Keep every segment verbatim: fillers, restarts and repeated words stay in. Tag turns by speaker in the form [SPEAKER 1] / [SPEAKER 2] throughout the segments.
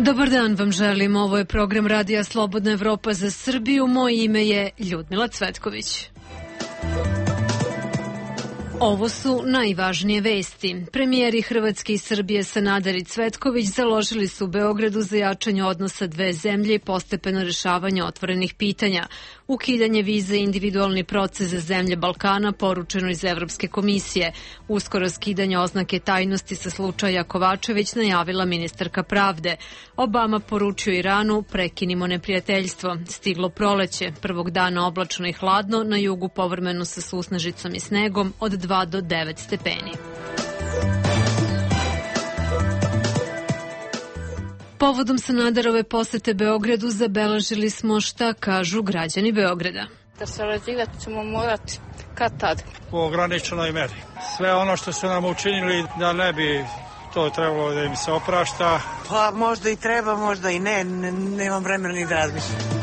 [SPEAKER 1] Dobar dan vam želim, ovo je program Radija Slobodna Evropa za Srbiju, moje ime je Ljudmila Cvetković. Ovo su najvažnije vesti. Premijeri Hrvatske i Srbije Sanader i Cvetković založili su u Beogradu za jačanje odnosa dve zemlje i postepeno rešavanje otvorenih pitanja. Ukidanje vize i individualni proces za zemlje Balkana poručeno iz Evropske komisije. Uskoro skidanje oznake tajnosti sa slučaja Kovačević najavila ministarka pravde. Obama poručio Iranu prekinimo neprijateljstvo. Stiglo proleće, prvog dana oblačno i hladno, na jugu povremeno sa susnežicom i snegom od dva do devet stepeni. Povodom Sanaderove posete Beogradu zabeležili smo šta kažu građani Beograda.
[SPEAKER 2] Da sarađivati ćemo morati kad tad.
[SPEAKER 3] U ograničenoj meri. Sve ono što su nam učinili da ne bi to trebalo da im se oprašta.
[SPEAKER 4] Pa možda i treba, možda i ne, nemam vremena ni da razmišljam.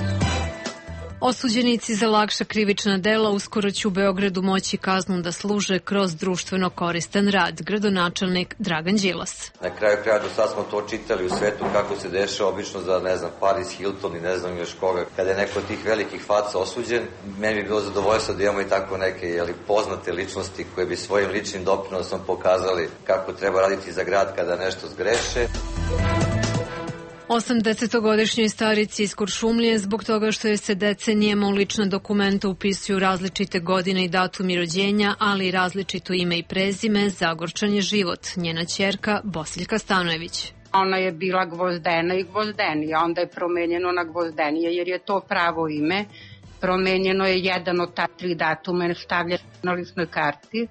[SPEAKER 1] Osuđenici za lakša krivična dela uskoro će u Beogradu moći kaznu da služe kroz društveno koristan rad, gradonačelnik Dragan Đilas.
[SPEAKER 5] Na kraju kraja do sad smo to čitali u svetu kako se dešava obično za, ne znam, Paris Hilton i ne znam još koga. Kada je neko od tih velikih faca osuđen, meni bi bilo zadovoljstvo da imamo i tako neke jeli, poznate ličnosti koje bi svojim ličnim doprinosom pokazali kako treba raditi za grad kada nešto zgreše.
[SPEAKER 1] osamdesetogodišnjoj starici iz Kuršumlije zbog toga što je se decenijama u lična dokumenta upisuju različite godine i datumi rođenja, ali i različito ime i prezime, zagorčan je život. Njena ćerka Bosiljka Stanojević.
[SPEAKER 6] Ona je bila Gvozdena i Gvozdenija, onda je promenjeno na Gvozdenija jer je to pravo ime. Promenjeno je jedan od ta tri datuma, stavlja na ličnoj karti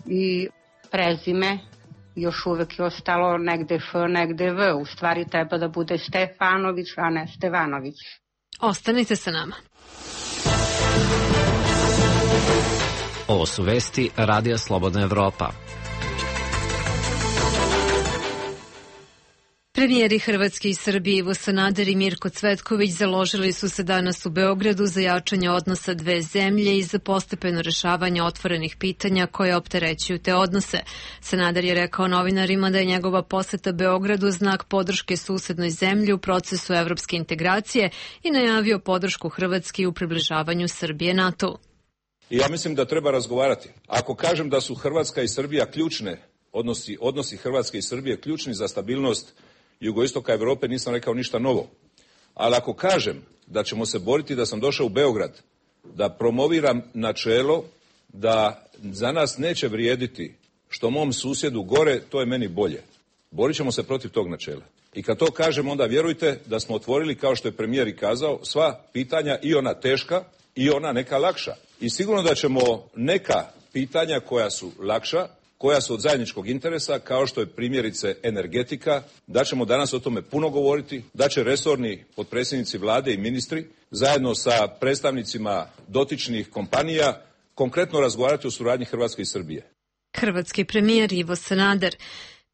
[SPEAKER 6] i prezime. Još uvek je ostalo negde F, negde V. U stvari treba da bude Stefanović, a ne Stevanović.
[SPEAKER 1] Ostanite sa nama.
[SPEAKER 7] Ovo su vesti Radija Slobodna Evropa.
[SPEAKER 1] Premijeri Hrvatske i Srbije Ivo Sanader i Mirko Cvetković založili su se danas u Beogradu za jačanje odnosa dve zemlje i za postepeno rešavanje otvorenih pitanja koje opterećuju te odnose. Sanader je rekao novinarima da je njegova poseta Beogradu znak podrške susednoj zemlji u procesu evropske integracije i najavio podršku Hrvatske u približavanju Srbije NATO.
[SPEAKER 8] I ja mislim da treba razgovarati. Ako kažem da su Hrvatska i Srbija ključne, odnosi, odnosi Hrvatske i Srbije ključni za stabilnost jugoistoka Evrope, nisam rekao ništa novo. Ali ako kažem da ćemo se boriti, da sam došao u Beograd, da promoviram načelo da za nas neće vrijediti što mom susjedu gore, to je meni bolje. Borit ćemo se protiv tog načela. I kad to kažem, onda vjerujte da smo otvorili, kao što je premijer i kazao, sva pitanja, i ona teška i ona neka lakša. I sigurno da ćemo neka pitanja koja su lakša, koja su od zajedničkog interesa, kao što je primjerice energetika, da ćemo danas o tome puno govoriti, da će resorni potpredsjednici vlade i ministri zajedno sa predstavnicima dotičnih kompanija konkretno razgovarati o suradnji Hrvatske i Srbije.
[SPEAKER 1] Hrvatski premijer Ivo Sanader.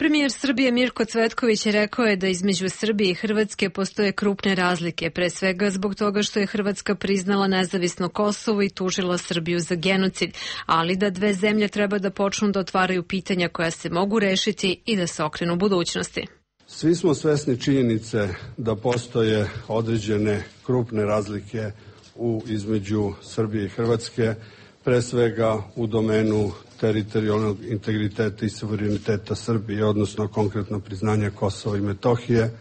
[SPEAKER 1] Premijer Srbije Mirko Cvetković je rekao je da između Srbije i Hrvatske postoje krupne razlike, pre svega zbog toga što je Hrvatska priznala nezavisno Kosovo i tužila Srbiju za genocid, ali da dve zemlje treba da počnu da otvaraju pitanja koja se mogu rešiti i da se okrenu budućnosti.
[SPEAKER 9] Svi smo svesni činjenice da postoje određene krupne razlike u između Srbije i Hrvatske, pre svega u domenu teritorijalnog integriteta i suvereniteta Srbije, odnosno konkretno priznanja Kosova i Metohije,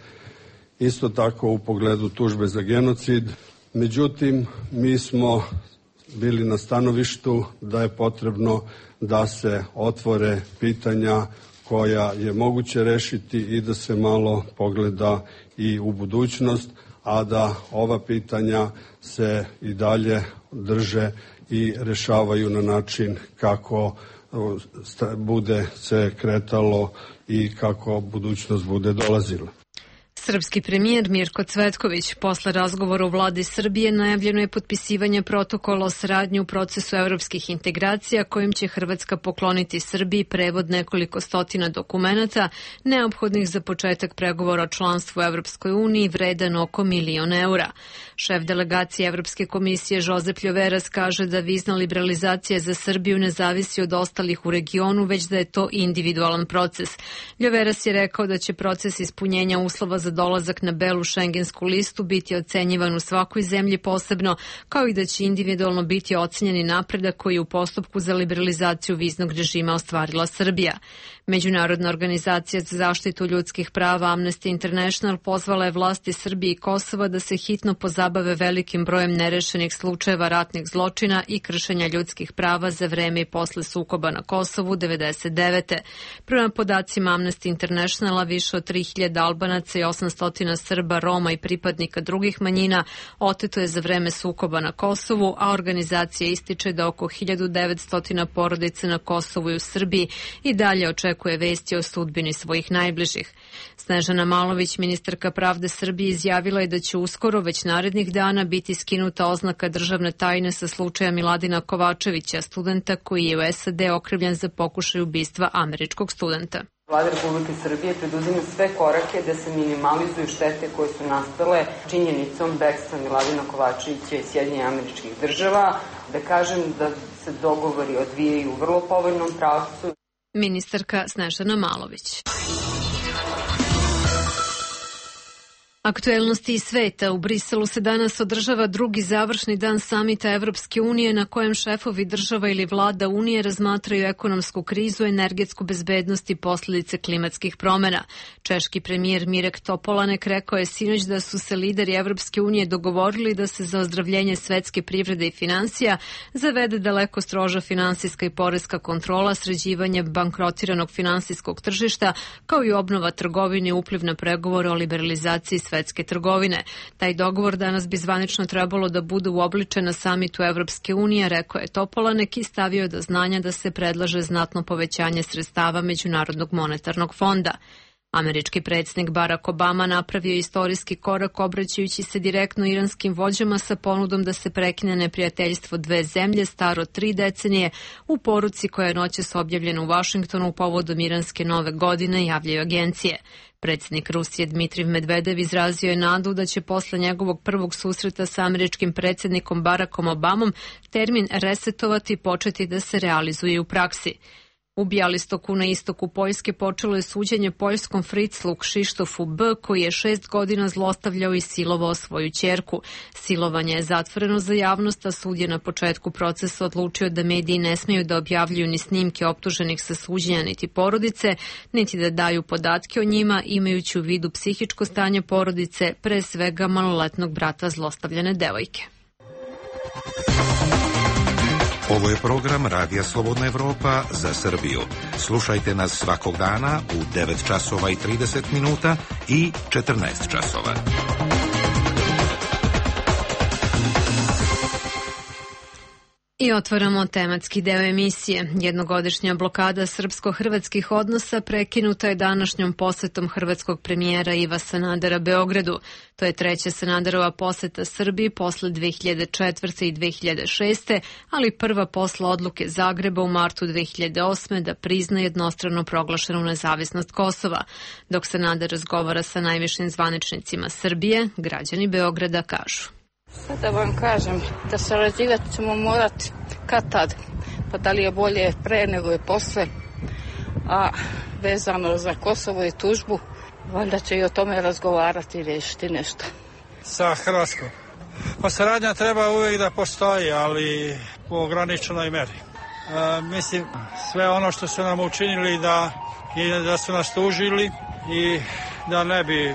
[SPEAKER 9] isto tako u pogledu tužbe za genocid. Međutim, mi smo bili na stanovištu da je potrebno da se otvore pitanja koja je moguće rešiti i da se malo pogleda i u budućnost, a da ova pitanja se i dalje drže i rešavaju na način kako bude se kretalo i kako budućnost bude dolazila.
[SPEAKER 1] Srpski premijer Mirko Cvetković posle razgovora u vladi Srbije najavljeno je potpisivanje protokola o saradnji u procesu evropskih integracija kojim će Hrvatska pokloniti Srbiji prevod nekoliko stotina dokumenata neophodnih za početak pregovora o članstvu u Evropskoj uniji vredan oko milion eura. Šef delegacije Evropske komisije Josep Ljoveras kaže da vizna liberalizacija za Srbiju ne zavisi od ostalih u regionu, već da je to individualan proces. Ljoveras je rekao da će proces ispunjenja uslova za dolazak na belu šengensku listu biti ocenjivan u svakoj zemlji posebno, kao i da će individualno biti ocenjeni napredak koji je u postupku za liberalizaciju viznog režima ostvarila Srbija. Međunarodna organizacija za zaštitu ljudskih prava Amnesty International pozvala je vlasti Srbije i Kosova da se hitno pozabave velikim brojem nerešenih slučajeva ratnih zločina i kršenja ljudskih prava za vreme i posle sukoba na Kosovu devedeset devete. Prema podacima Amnesty Internationala, više od tri hiljade Albanaca i osamsto Srba, Roma i pripadnika drugih manjina oteto je za vreme sukoba na Kosovu, a organizacija ističe da oko hiljadu devetsto porodica na Kosovu i u Srbiji i dalje očekuje vesti o sudbini svojih najbližih. Snežana Malović, ministarka pravde Srbije, izjavila je da će uskoro, već narednih dana, biti skinuta oznaka državne tajne sa slučaja Miladina Kovačevića, studenta koji je u S A D okrivljen za pokušaj ubistva američkog studenta.
[SPEAKER 10] Vlada Republike Srbije preduzima sve korake da se minimalizuju štete koje su nastale činjenicom bekstva Miladina Kovačevića iz Sjedinjenih Američkih Država. Da kažem da se dogovori odvijaju u vrlo povoljnom pravcu.
[SPEAKER 1] Ministarka Snežana Malović. Aktuelnosti iz sveta. U Briselu se danas održava drugi završni dan samita Evropske unije na kojem šefovi država ili vlada Unije razmatraju ekonomsku krizu, energetsku bezbednost i posljedice klimatskih promjena. Češki premijer Mirek Topolanek rekao je sinoć da su se lideri Evropske unije dogovorili da se za ozdravljenje svetske privrede i finansija zavede daleko stroža finansijska i poreska kontrola, sređivanje bankrotiranog finansijskog tržišta, kao i obnova trgovine i upliv na pregovore o liberalizaciji svetske trgovine. Taj dogovor danas bi zvanično trebalo da bude uobličen na samitu Evropske unije, rekao je Topolanek i stavio do znanja da se predlaže znatno povećanje sredstava Međunarodnog monetarnog fonda. Američki predsjednik Barack Obama napravio istorijski korak obraćajući se direktno iranskim vođama sa ponudom da se prekine neprijateljstvo dve zemlje staro tri decenije u poruci koja je noćas objavljena u Vašingtonu povodom iranske nove godine, javljaju agencije. Predsjednik Rusije Dmitrij Medvedev izrazio je nadu da će posle njegovog prvog susreta sa američkim predsjednikom Barackom Obamom termin resetovati i početi da se realizuje u praksi. U Bjelistoku na istoku Poljske počelo je suđenje poljskom Friclu Kšištofu B, koji je šest godina zlostavljao i silovao svoju ćerku. Silovanje je zatvoreno za javnost, a sud je na početku procesa odlučio da mediji ne smeju da objavljuju ni snimke optuženih sa suđenja niti porodice, niti da daju podatke o njima, imajući u vidu psihičko stanje porodice, pre svega maloletnog brata zlostavljane devojke.
[SPEAKER 11] Ovo je program Radija Slobodna Evropa za Srbiju. Slušajte nas svakog dana u devet časova i trideset minuta i četrnaest časova.
[SPEAKER 1] I otvaramo tematski deo emisije. Jednogodišnja blokada srpsko-hrvatskih odnosa prekinuta je današnjom posetom hrvatskog premijera Iva Sanadera Beogradu. To je treća Sanaderova poseta Srbiji posle dve hiljade četvrte i dve hiljade šeste, ali prva posle odluke Zagreba u martu dve hiljade osme da prizna jednostrano proglašenu nezavisnost Kosova. Dok Sanader razgovara sa najvišim zvaničnicima Srbije, građani Beograda kažu:
[SPEAKER 2] Sad da vam kažem, da sarađivati ćemo morati kad tad, pa da li je bolje pre nego je posle, a vezano za Kosovo i tužbu, valjda će i o tome razgovarati i riješiti nešto.
[SPEAKER 3] Sa Hrvatskom. Pa saradnja treba uvijek da postoji, ali u ograničenoj meri. E, mislim, sve ono što su nam učinili da, i da su nas tužili i da ne bi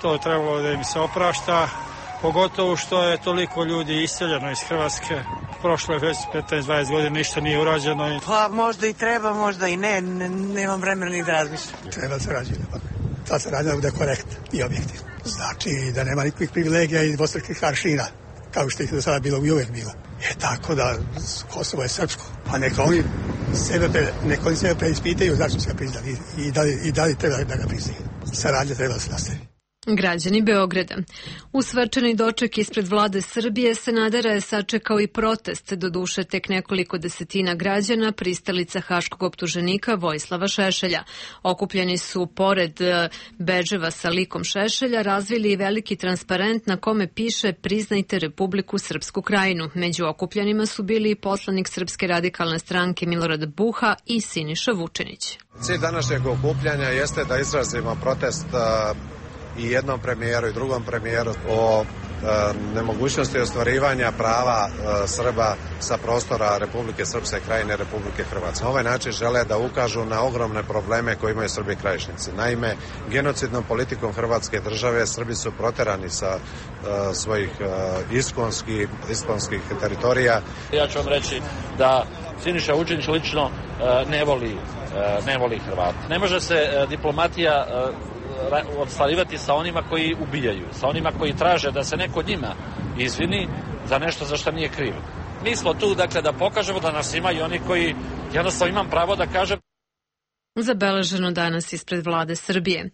[SPEAKER 3] to trebalo da im se oprašta, pogotovo što je toliko ljudi iseljeno iz Hrvatske. Prošlo je već petnaest dvadeset godina, ništa nije urađeno.
[SPEAKER 4] Pa možda i treba, možda i ne, ne nemam vremena ni da razmišljam.
[SPEAKER 12] Treba se rađati, pa ta se rađa da bude korektna i objektivna. Znači da nema nikakvih privilegija i dvostrukih aršina, kao što ih do sada bilo i uvek bilo. Je tako da Kosovo je srpsko, pa neka oni sebe, pre, neka oni sebe preispitaju zašto se ga priznali i da li, i da li treba da ga priznaju. Saradnja treba da se nastavi.
[SPEAKER 1] Građani Beograda. U svečani doček ispred vlade Srbije Sanadera je sačekao i protest, doduše tek nekoliko desetina građana, pristalica haškog optuženika Vojislava Šešelja. Okupljeni su pored bedževa sa likom Šešelja razvili i veliki transparent na kome piše priznajte Republiku Srpsku Krajinu. Među okupljenima su bili i poslanik Srpske radikalne stranke Milorad Buha i Siniša Vučinić.
[SPEAKER 13] Cilj današnjeg okupljanja jeste da izrazimo protest i jednom premijeru i drugom premijeru o nemogućnosti ostvarivanja prava Srba sa prostora Republike Srpske Krajine i Republike Hrvatske. Na ovaj način žele da ukažu na ogromne probleme koje imaju Srbi krajišnici. Naime, genocidnom politikom Hrvatske države Srbi su proterani sa uh, svojih uh, iskonskih, iskonskih teritorija.
[SPEAKER 14] Ja ću vam reći da Siniša Vučić lično uh, ne voli, uh, ne voli Hrvate. Ne može se uh, diplomatija uh, odstvarivati sa onima koji ubijaju, sa onima koji traže da se neko njima izvini za nešto za što nije kriv. Mi smo tu, dakle, da pokažemo da nas ima i oni koji, jednostavno imam pravo da kažem.
[SPEAKER 1] Zabeleženo danas ispred vlade Srbije.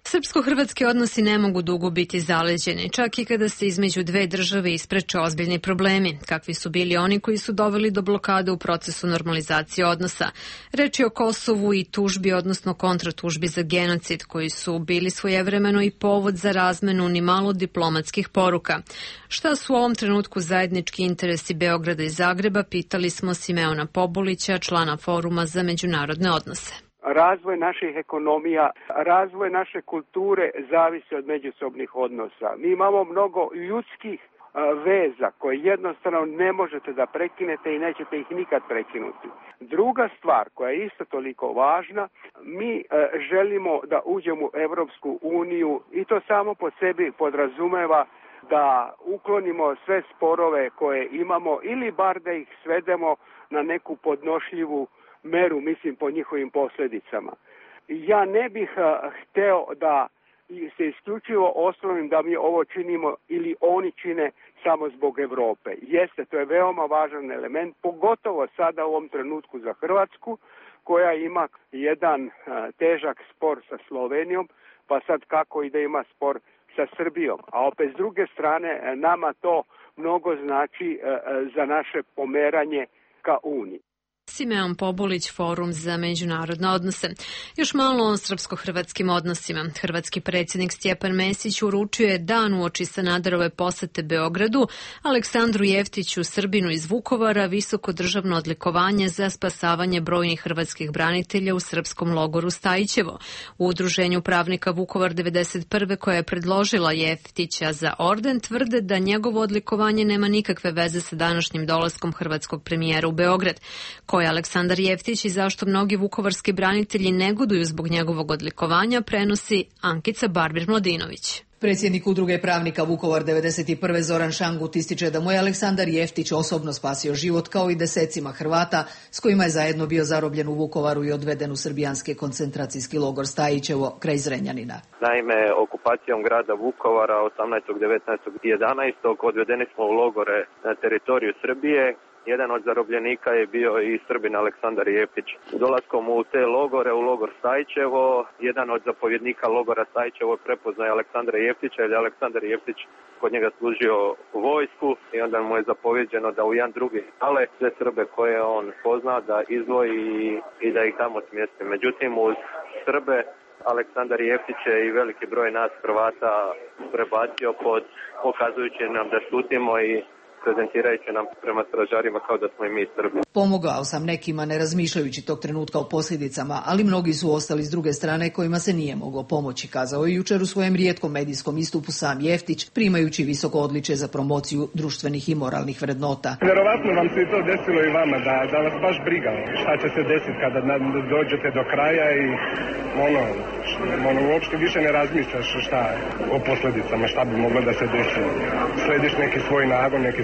[SPEAKER 1] Srpsko-hrvatski odnosi ne mogu dugo biti zaleđeni, čak i kada se između dve države ispreče ozbiljni problemi, kakvi su bili oni koji su doveli do blokade u procesu normalizacije odnosa. Reč je o Kosovu i tužbi, odnosno kontratužbi za genocid, koji su bili svojevremeno i povod za razmenu ni malo diplomatskih poruka. Šta su u ovom trenutku zajednički interesi Beograda i Zagreba, pitali smo Simeona Pobulića, člana Foruma za međunarodne odnose.
[SPEAKER 15] Razvoj naših ekonomija, razvoj naše kulture zavisi od međusobnih odnosa. Mi imamo mnogo ljudskih veza koje jednostavno ne možete da prekinete i nećete ih nikad prekinuti. Druga stvar koja je isto toliko važna, mi želimo da uđemo u Evropsku uniju i to samo po sebi podrazumeva da uklonimo sve sporove koje imamo ili bar da ih svedemo na neku podnošljivu meru, mislim, po njihovim posljedicama. Ja ne bih uh, hteo da se isključivo osnovim da mi ovo činimo ili oni čine samo zbog Evrope. Jeste, to je veoma važan element, pogotovo sada u ovom trenutku za Hrvatsku, koja ima jedan uh, težak spor sa Slovenijom, pa sad kako i da ima spor sa Srbijom. A opet s druge strane, nama to mnogo znači uh, za naše pomeranje ka Uniji.
[SPEAKER 1] Simeon Pobulić, Forum za međunarodne odnose. Još malo o srpsko-hrvatskim odnosima. Hrvatski predsjednik Stjepan Mesić uručio je dan uoči Sanaderove posete Beogradu Aleksandru Jeftiću, Srbinu iz Vukovara, visoko državno odlikovanje za spasavanje brojnih hrvatskih branitelja u srpskom logoru Stajićevo. U udruženju pravnika Vukovar devedeset prve koja je predložila Jeftića za orden tvrde da njegovo odlikovanje nema nikakve veze sa današnjim dolaskom hrvatskog premijera u Beograd. Ko je Aleksandar Jeftić i zašto mnogi vukovarski branitelji negoduju zbog njegovog odlikovanja, prenosi Ankica Barbir-Mladinović.
[SPEAKER 16] Predsjednik udruge pravnika Vukovar devedeset prve Zoran Šangut ističe da mu je Aleksandar Jeftić osobno spasio život kao i desecima Hrvata s kojima je zajedno bio zarobljen u Vukovaru i odveden u srbijanski koncentracijski logor Stajićevo kraj Zrenjanina.
[SPEAKER 17] Naime, okupacijom grada Vukovara osamnaestog, devetnaestog i jedanaestog odvedeni smo u logore na teritoriju Srbije. Jedan od zarobljenika je bio i Srbin Aleksandar Jeftić. Dolaskom u te logore, u logor Stajićevo, jedan od zapovjednika logora Stajićevo prepoznaje Aleksandra Jeftića, jer je Aleksandar Jeftić kod njega služio vojsku i onda mu je zapovjeđeno da u jedan drugi ale sve Srbe koje on pozna da izdvoji i da ih tamo smjesti. Međutim, uz Srbe Aleksandar Jeftić je i veliki broj nas Hrvata prebacio pod, pokazujući nam da šutimo i prezentirajući nam prema stražarima kao da smo i mi Srbi.
[SPEAKER 16] Pomogao sam nekima ne razmišljajući tog trenutka o posljedicama, ali mnogi su ostali s druge strane kojima se nije moglo pomoći, kazao je jučer u svojem rijetkom medijskom istupu sam Jeftić, primajući visoko odličje za promociju društvenih i moralnih vrednota.
[SPEAKER 18] Vjerovatno vam se i to desilo i vama, da, da vas baš briga šta će se desiti kada dođete do kraja i ono, ono uopšte više ne razmišljaš šta o posljedicama, šta bi moglo da se desi. Slediš neki svoj nagon, neki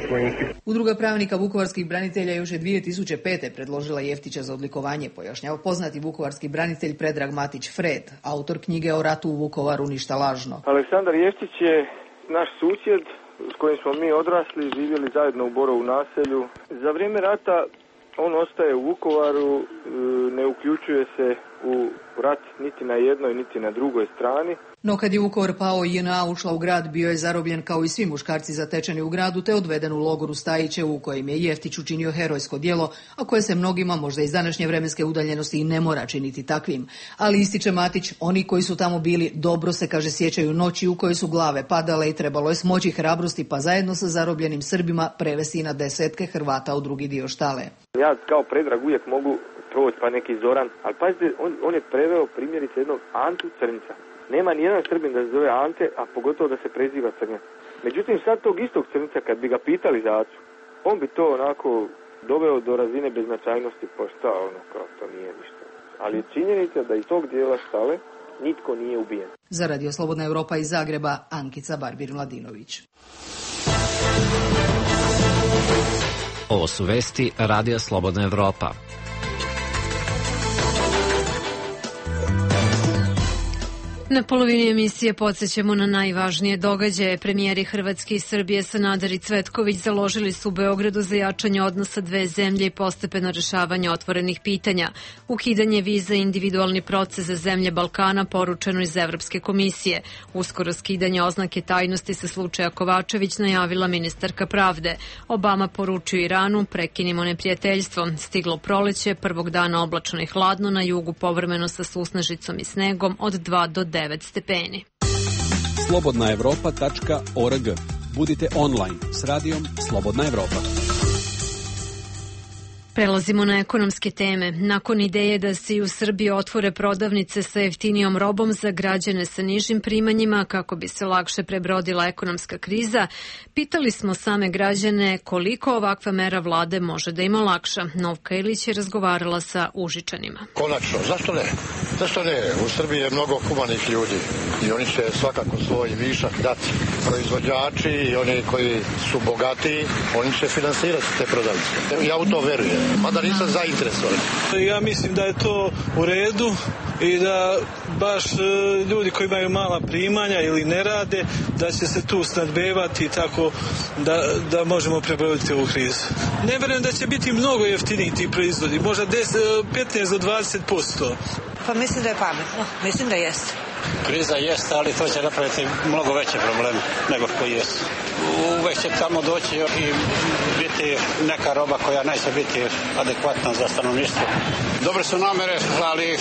[SPEAKER 16] Udruga pravnika vukovarskih branitelja još je dvije tisuće pete predložila Jeftića za odlikovanje, pojašnjava poznati vukovarski branitelj Predrag Matić Fred, autor knjige O ratu u Vukovaru ništa lažno.
[SPEAKER 19] Aleksandar Jeftić je naš susjed s kojim smo mi odrasli, živjeli zajedno u Borovu naselju. Za vrijeme rata on ostaje u Vukovaru, ne uključuje se u rat niti na jednoj niti na drugoj strani.
[SPEAKER 16] No kad je Vukovar pao i J N A ušla u grad, bio je zarobljen kao i svi muškarci zatečeni u gradu te odveden u logoru Stajićevu u kojem je Jeftić učinio herojsko djelo, a koje se mnogima možda iz današnje vremenske udaljenosti i ne mora činiti takvim. Ali ističe Matić, oni koji su tamo bili dobro se, kaže, sjećaju noći u kojoj su glave padale i trebalo je smoći hrabrosti pa zajedno sa zarobljenim Srbima prevesti na desetke Hrvata u drugi dio štale.
[SPEAKER 19] Ja kao Predrag uvijek mogu proći pa neki Zoran, ali pazite, on, on je preveo primjerice jednog Antu Crnca. Nema nijedan Srbin da se zove Ante, a pogotovo da se preziva Crnac. Međutim, sad tog istog Crnca, kad bi ga pitali za acu, on bi to onako doveo do razine beznačajnosti, pa šta, ono, kao to nije ništa. Ali činjenica da iz tog dijela Štale nitko nije ubijen.
[SPEAKER 16] Za Radio Slobodna Evropa iz Zagreba, Ankica Barbir-Mladinović.
[SPEAKER 7] Ovo su vesti Radija Slobodna Evropa.
[SPEAKER 1] Na polovini emisije podsjećamo na najvažnije događaje. Premijeri Hrvatske i Srbije Sanader i Cvetković založili su u Beogradu za jačanje odnosa dve zemlje i postepeno rešavanje otvorenih pitanja. Ukidanje viza i individualni proces za zemlje Balkana poručeno iz Evropske komisije. Uskoro skidanje oznake tajnosti sa slučaja Kovačević najavila ministarka pravde. Obama poručio Iranu, prekinimo neprijateljstvo. Stiglo proleće, prvog dana oblačno i hladno, na jugu povremeno sa susnežicom i snegom od dva do devet stepeni.
[SPEAKER 20] slobodna evropa tačka org. Budite online s radijom Slobodna Evropa.
[SPEAKER 1] Prelazimo na ekonomske teme. Nakon ideje da se i u Srbiji otvore prodavnice sa jeftinijom robom za građane sa nižim primanjima kako bi se lakše prebrodila ekonomska kriza, pitali smo same građane koliko ovakva mera vlade može da im olakša. Novka Ilić je razgovarala sa Užičanima.
[SPEAKER 21] Konačno, zašto ne? Zašto ne? U Srbiji je mnogo humanih ljudi i oni će svakako svoj višak dati. Proizvođači i oni koji su bogatiji, oni će finansirati te prodavnice. Ja u to verujem. Mada nisam zainteresovan.
[SPEAKER 22] Ja mislim da je to u redu i da baš ljudi koji imaju mala primanja ili ne rade, da će se tu snadbevati tako da, da možemo prebroditi ovu krizu. Ne verujem da će biti mnogo jeftiniji ti proizvodi, možda petnaest do dvadeset posto.
[SPEAKER 4] Pa mislim da je pametno, mislim da jeste.
[SPEAKER 23] Kriza jeste, ali to će napraviti mnogo veće probleme nego što jesu. Uvek će tamo doći i biti neka roba koja neće biti adekvatna za stanovništvo. Dobre su namere, ali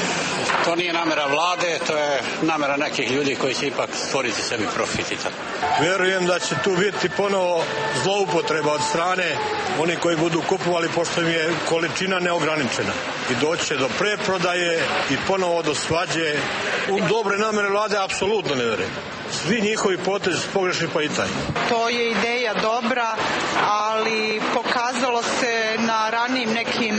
[SPEAKER 23] to nije namera vlade, to je namera nekih ljudi koji će ipak stvoriti sebi profit i tako.
[SPEAKER 21] Vjerujem da će tu biti ponovo zloupotreba od strane oni koji budu kupovali, pošto im je količina neograničena. I doći će do preprodaje i ponovo do svađe. U dobre namere vlade apsolutno ne vjerujem. Svi njihovi potezi su pogrešni, pa i taj.
[SPEAKER 24] To je ideja dobra, ali pokazalo se na ranijim nekim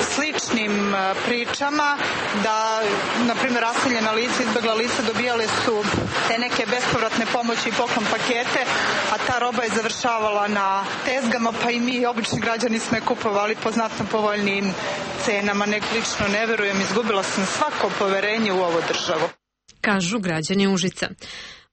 [SPEAKER 24] sličnim pričama da, na primjer, raseljena lica, izbjegla lica dobijale su te neke bespovratne pomoći i poklon pakete, a ta roba je završavala na tezgama, pa i mi, obični građani, smo je kupovali po znatno povoljnijim cenama. Nek lično ne verujem, izgubila sam svako poverenje u ovu državu.
[SPEAKER 1] Kažu građani Užica.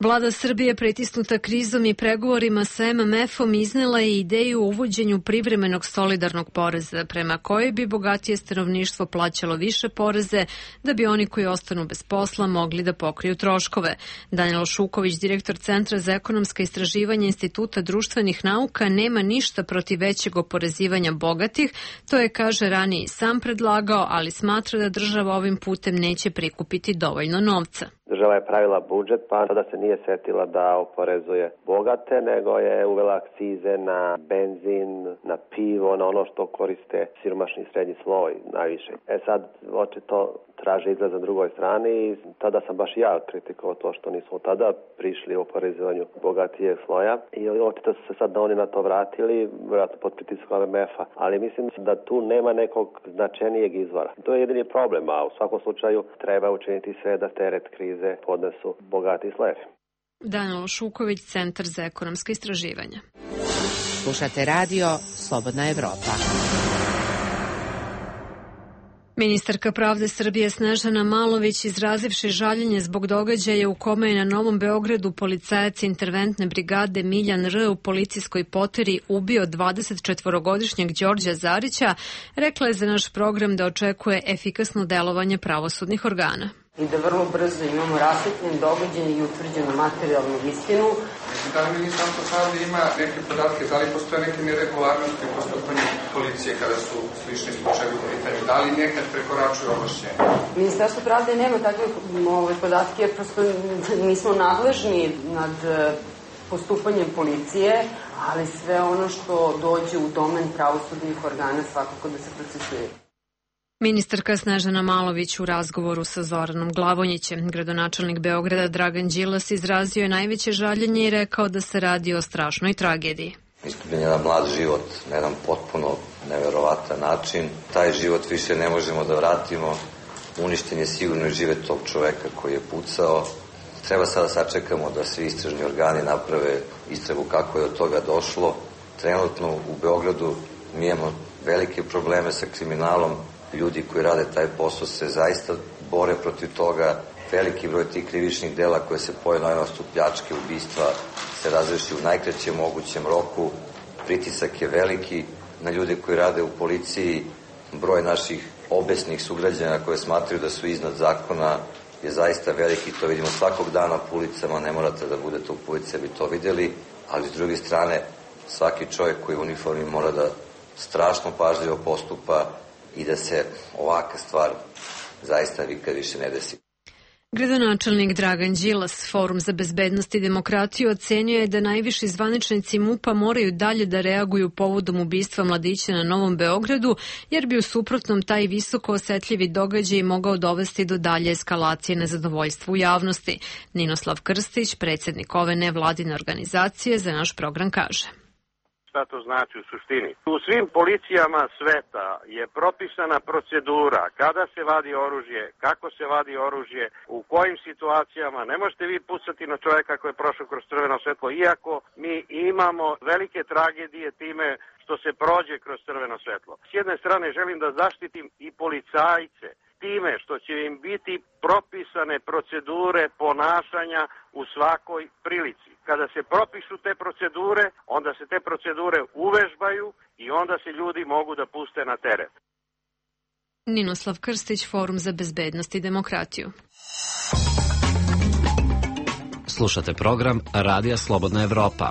[SPEAKER 1] Vlada Srbije, pritisnuta krizom i pregovorima sa em em efom, iznela je ideju o uvođenju privremenog solidarnog poreza, prema kojoj bi bogatije stanovništvo plaćalo više poreze, da bi oni koji ostanu bez posla mogli da pokriju troškove. Danilo Šuković, direktor Centra za ekonomska istraživanja Instituta društvenih nauka, nema ništa protiv većeg oporezivanja bogatih, to je, kaže, ranije sam predlagao, ali smatra da država ovim putem neće prikupiti dovoljno novca.
[SPEAKER 25] Država je pravila budžet, pa tada se nije setila da oporezuje bogate, nego je uvela akcize na benzin, na pivo, na ono što koriste siromašni i srednji sloj najviše. E sad, očito traže izlaz na drugoj strani i tada sam baš ja kritikovao to što nismo tada prišli u oporezivanju bogatije sloja i očito su se sad da oni na to vratili, vjerojatno pod pritiskom em em efa, ali mislim da tu nema nekog značajnijeg izvora. To je jedini problem, a u svakom slučaju treba učiniti sve da teret krize podnesu bogati slojevi.
[SPEAKER 1] Danilo Šuković, Centar za ekonomska istraživanja.
[SPEAKER 26] Slušate radio Slobodna Evropa.
[SPEAKER 1] Ministarka pravde Srbije Snežana Malović, izrazivši žaljenje zbog događaja u kome je na Novom Beogradu policajac interventne brigade Miljan R. u policijskoj poteri ubio dvadesetčetvorogodišnjeg Đorđa Zarića, rekla je za naš program da očekuje efikasno delovanje pravosudnih organa.
[SPEAKER 10] I da vrlo brzo imamo rasvetljen događaj i utvrđenu materijalnu istinu.
[SPEAKER 27] Da li Ministarstvo pravde ima neke podatke, da li postoje neke neregularnosti u postupanju policije kada su slični slučajevi u pitanju, da li nekad prekoračuju ovlašćenje?
[SPEAKER 10] Ministarstvo pravde nema takve ove podatke jer prosto nismo nadležni nad postupanjem policije, ali sve ono što dođe u domen pravosudnih organa svakako da se procesuje.
[SPEAKER 1] Ministarka Snežana Malović u razgovoru sa Zoranom Glavonjićem. Gradonačelnik Beograda Dragan Đilas izrazio je najveće žaljenje i rekao da se radi o strašnoj tragediji.
[SPEAKER 2] Izgubljen je jedan mlad život na jedan potpuno neverovatan način. Taj život više ne možemo da vratimo. Uništen je sigurno i život tog čoveka koji je pucao. Treba sada sačekamo da svi istražni organi naprave istragu kako je od toga došlo. Trenutno u Beogradu mi imamo velike probleme sa kriminalom. Ljudi koji rade taj posao se zaista bore protiv toga. Veliki broj tih krivičnih dela koje se pojave na osnovu pljačke, ubistva se razreši u najkraćem mogućem roku. Pritisak je veliki na ljude koji rade u policiji. Broj naših obesnih sugrađana koje smatraju da su iznad zakona je zaista veliki. To vidimo svakog dana po ulicama, ne morate da budete u policiji da bi to videli, ali s druge strane svaki čovjek koji je u uniformi mora da strašno pažljivo postupa i da se ovaka stvar zaista nikad više ne desi.
[SPEAKER 1] Gradonačelnik Dragan Đilas, Forum za bezbednost i demokratiju, ocenio je da najviši zvaničnici MUP-a moraju dalje da reaguju povodom ubistva mladića na Novom Beogradu, jer bi u suprotnom taj visoko osetljivi događaj mogao dovesti do dalje eskalacije nezadovoljstva u javnosti. Ninoslav Krstić, predsjednik ove nevladine organizacije, za naš program kaže.
[SPEAKER 3] Šta to znači u suštini? U svim policijama sveta je propisana procedura kada se vadi oružje, kako se vadi oružje, u kojim situacijama. Ne možete vi pucati na čovjeka koji je prošao kroz crveno svetlo, iako mi imamo velike tragedije time što se prođe kroz crveno svetlo. S jedne strane želim da zaštitim i policajce time što će im biti propisane procedure ponašanja u svakoj prilici. Kada se propišu te procedure, onda se te procedure uvežbaju i onda se ljudi mogu da puste na teren.
[SPEAKER 1] Ninoslav Krstić, Forum za bezbednost i demokratiju.
[SPEAKER 7] Slušate program Radija Slobodna Evropa.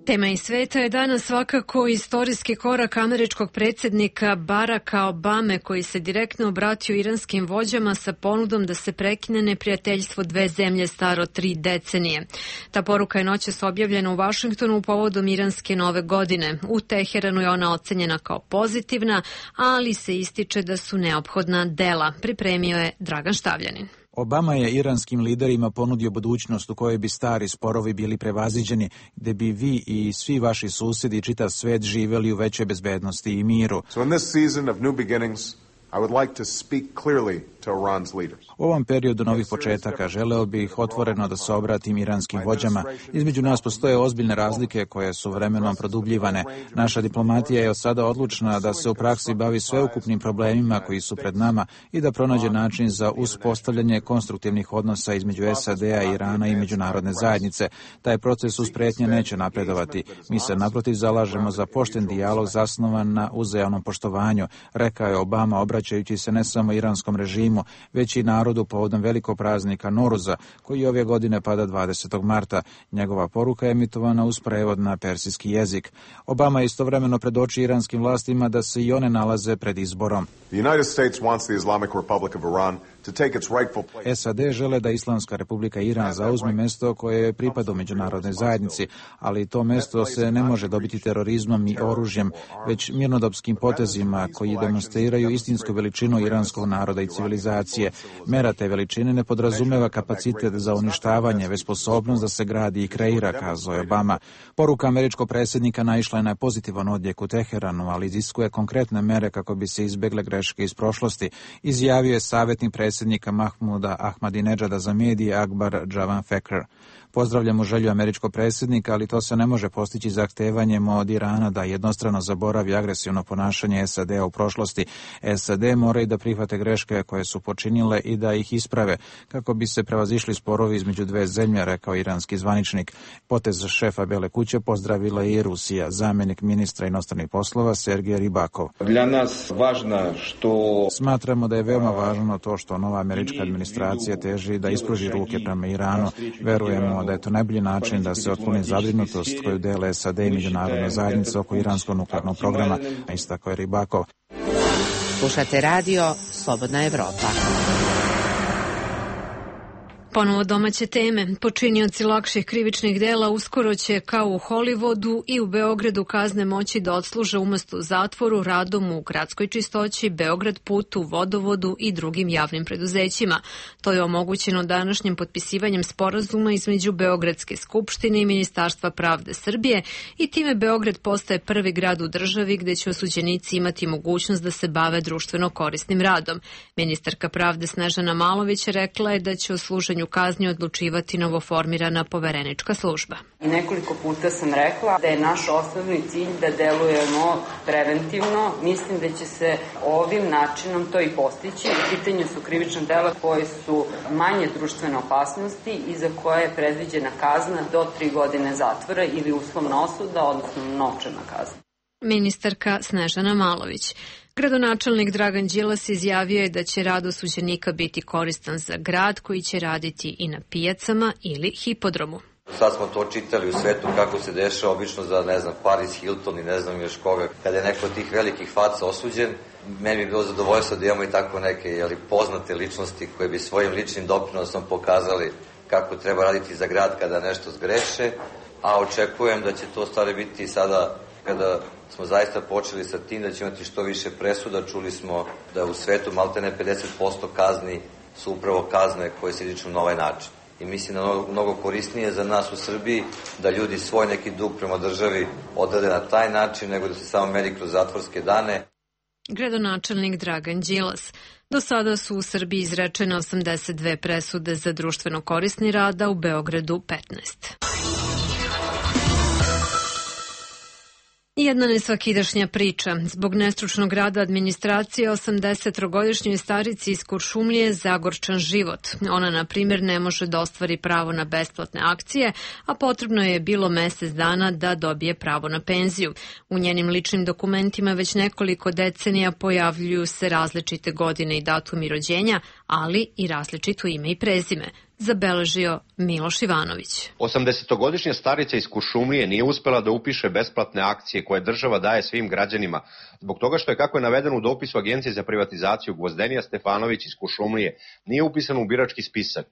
[SPEAKER 1] Tema iz sveta je danas svakako istorijski korak američkog predsjednika Baracka Obame, koji se direktno obratio iranskim vođama sa ponudom da se prekine neprijateljstvo dve zemlje staro tri decenije. Ta poruka je noćas objavljena u Vašingtonu povodom iranske nove godine. U Teheranu je ona ocenjena kao pozitivna, ali se ističe da su neophodna dela. Pripremio je Dragan Štavljanin.
[SPEAKER 5] Obama je iranskim liderima ponudio budućnost u kojoj bi stari sporovi bili prevaziđeni, gde bi vi i svi vaši susedi i čitav svet živeli u većoj bezbednosti i miru.
[SPEAKER 6] So in this season of new beginnings, I would like to speak clearly to Iran's leaders.
[SPEAKER 5] U ovom periodu novih početaka želeo bih otvoreno da se obratim iranskim vođama. Između nas postoje ozbiljne razlike koje su vremenom produbljivane. Naša diplomatija je od sada odlučna da se u praksi bavi sveukupnim problemima koji su pred nama i da pronađe način za uspostavljanje konstruktivnih odnosa između S A D-a, Irana i međunarodne zajednice. Taj proces uz pretnje neće napredovati. Mi se naprotiv zalažemo za pošten dijalog zasnovan na uzajamnom poštovanju, rekao je Obama, obraćajući se ne samo iranskom režimu, već i narodu povodom velikog praznika Noruza, koji ove godine pada dvadesetog marta. Njegova poruka je emitovana uz prevod na persijski jezik. Obama je istovremeno predočio iranskim vlastima da se i one nalaze pred izborom.
[SPEAKER 6] The United States wants the Islamic Republic of Iran to take its rightful place.
[SPEAKER 5] S A D žele da Islamska Republika Iran zauzme mesto koje pripada u međunarodnoj zajednici, ali to mesto se ne može dobiti terorizmom i oružjem, već mirnodopskim potezima koji demonstriraju istinsku veličinu iranskog naroda i civilizacije. Mera te veličine ne podrazumeva kapacitet za uništavanje, već sposobnost da se gradi i kreira, kazao je Obama. Poruka američkog predsjednika naišla je na pozitivan odjek u Teheranu, ali iziskuje konkretne mere kako bi se izbegle greške iz prošlosti, izjavio je savjetnik predsjednika Mahmuda Ahmadinedžada za medije Akbar Javan Fekr. Pozdravljamo želju američkog predsjednika, ali to se ne može postići zahtevanjem od Irana da jednostrano zaboravi agresivno ponašanje S A D-a u prošlosti. S A D moraju da prihvate greške koje su počinile i da ih isprave, kako bi se prevazišli sporovi između dve zemlje, rekao iranski zvaničnik. Potez šefa Bele kuće pozdravila i Rusija. Zamjenik ministra inostranih poslova Sergej Ribakov.
[SPEAKER 8] Dla nas važno što...
[SPEAKER 5] Smatramo da je veoma važno to što nova američka administracija teži da ispruži ruke prema Iranu. Verujemo da je to najbolji način da se otkloni zabrinutost koju dele S A D i međunarodna zajednica oko iranskog nuklearnog programa, a istako je Ribakov.
[SPEAKER 26] Slušate radio Slobodna Evropa.
[SPEAKER 1] Ponovo domaće teme. Počinioci lakših krivičnih dela uskoro će, kao u Hollywoodu, i u Beogradu kazne moći da odsluže umesto u zatvoru radom u gradskoj čistoći, Beograd putu, vodovodu i drugim javnim preduzećima. To je omogućeno današnjim potpisivanjem sporazuma između Beogradske skupštine i Ministarstva pravde Srbije i time Beograd postaje prvi grad u državi gde će osuđenici imati mogućnost da se bave društveno korisnim radom. Ministarka pravde Snežana Malović rekla je da će o služenju kazni odlučivati novoformirana poverenička služba.
[SPEAKER 10] Nekoliko puta sam rekla da je naš osnovni cilj da delujemo preventivno. Mislim da će se ovim načinom to i postići. U pitanju su krivična dela koje su manje društvene opasnosti i za koje je predviđena kazna do tri godine zatvora ili uslovna osuda, odnosno novčana kazna.
[SPEAKER 1] Ministarka Snežana Malović. Gradonačelnik Dragan Đilas izjavio je da će rad osuđenika biti koristan za grad koji će raditi i na pijacama ili hipodromu.
[SPEAKER 2] Sad smo to čitali u svetu kako se dešava obično za, ne znam, Paris Hilton i ne znam još koga. Kada je neko od tih velikih faca osuđen, meni bi bilo zadovoljstvo da imamo i tako neke jeli, poznate ličnosti koje bi svojim ličnim doprinosom pokazali kako treba raditi za grad kada nešto zgreše, a očekujem da će to stvari biti sada kada smo zaista počeli sa tim da će imati što više presuda. Čuli smo da u svetu maltene pedeset posto kazni su upravo kazne koje se izriču na ovaj način. I mislim da je mnogo korisnije za nas u Srbiji da ljudi svoj neki dug prema državi odrade na taj način nego da se samo meri kroz zatvorske dane.
[SPEAKER 1] Gradonačelnik Dragan Đilas. Do sada su u Srbiji izrečene osamdeset dve presude za društveno korisni rad, a u Beogradu petnaest. Jedna nesvakidašnja priča. Zbog nestručnog rada administracije osamdesettrogodišnjoj starici iz Kuršumlije zagorčan život. Ona, na primjer, ne može da ostvari pravo na besplatne akcije, a potrebno je bilo mesec dana da dobije pravo na penziju. U njenim ličnim dokumentima već nekoliko decenija pojavljuju se različite godine i datumi rođenja, ali i različito ime i prezime. Zabeležio Miloš Ivanović.
[SPEAKER 9] osamdesetogodišnja starica iz Kuršumlije nije uspela da upiše besplatne akcije koje država daje svim građanima, zbog toga što je, kako je navedeno u dopisu Agencije za privatizaciju, Gvozdenija Stefanović iz Kuršumlije nije upisan u birački spisak.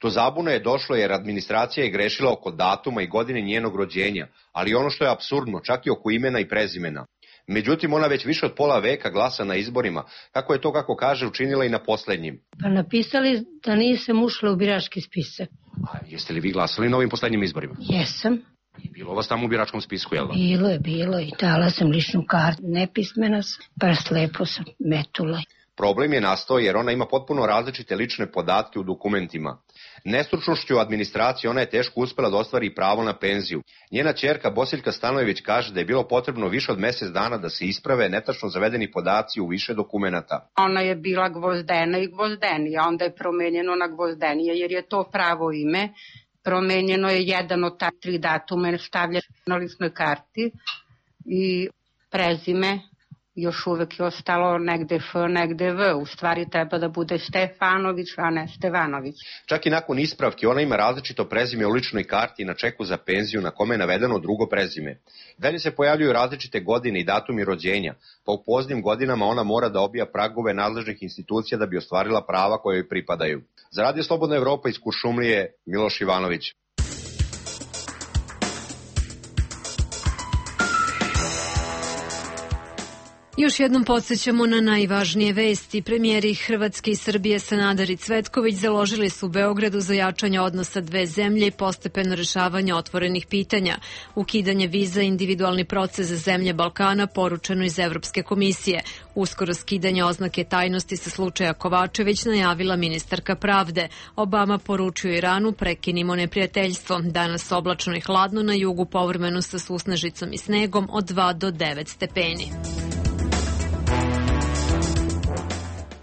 [SPEAKER 9] Do zabune je došlo jer administracija je grešila oko datuma i godine njenog rođenja, ali ono što je apsurdno, čak i oko imena i prezimena. Međutim, ona već više od pola veka glasa na izborima, kako je to, kako kaže, učinila i na poslednjim.
[SPEAKER 11] Pa napisali da nisam ušla u birački spisak.
[SPEAKER 9] A jeste li vi glasali na ovim poslednjim izborima?
[SPEAKER 11] Jesam.
[SPEAKER 9] I bilo vas tamo u biračkom spisku, jel da?
[SPEAKER 11] Bilo je, bilo i dala sam ličnu kartu. Nepismena sam, pa slepo sam metula.
[SPEAKER 9] Problem je nastao jer ona ima potpuno različite lične podatke u dokumentima. Nestručnošću administracije ona je teško uspela da ostvari pravo na penziju. Njena ćerka Bosiljka Stanojević kaže da je bilo potrebno više od mesec dana da se isprave netačno zavedeni podaci u više dokumenata.
[SPEAKER 12] Ona je bila Gvozdena i Gvozdenija, onda je promenjeno na Gvozdenija jer je to pravo ime. Promenjeno je jedan od ta tri datuma, stavlja na ličnoj karti i prezime. Još uvek je ostalo negde F, negde V. U stvari treba da bude Stefanović, a ne Stevanović.
[SPEAKER 9] Čak i nakon ispravke ona ima različito prezime u ličnoj karti na čeku za penziju na kome je navedeno drugo prezime. Dalje se pojavljuju različite godine i datumi rođenja, pa u poznim godinama ona mora da obija pragove nadležnih institucija da bi ostvarila prava koje joj pripadaju. Za Radio Slobodna Evropa iz Kuršumlije, Miloš Ivanović.
[SPEAKER 1] Još jednom podsjećamo na najvažnije vesti. Premijeri Hrvatske i Srbije Sanader i Cvetković založili su u Beogradu za jačanje odnosa dve zemlje i postepeno rešavanje otvorenih pitanja. Ukidanje viza i individualni proces za zemlje Balkana poručeno iz Evropske komisije. Uskoro skidanje oznake tajnosti sa slučaja Kovačević najavila ministarka pravde. Obama poručio Iranu prekinimo neprijateljstvo. Danas oblačno i hladno, na jugu povremeno sa susnežicom i snegom od dva do devet stepeni.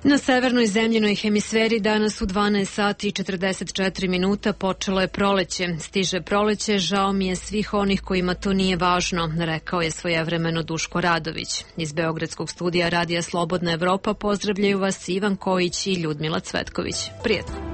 [SPEAKER 1] Na severnoj zemljinoj hemisferi danas u dvanaest sati i četrdeset četiri minuta počelo je proleće. Stiže proleće, žao mi je svih onih kojima to nije važno, rekao je svojevremeno Duško Radović. Iz Beogradskog studija Radija Slobodna Evropa pozdravljaju vas Ivan Kojić i Ljudmila Cvetković. Prijetno.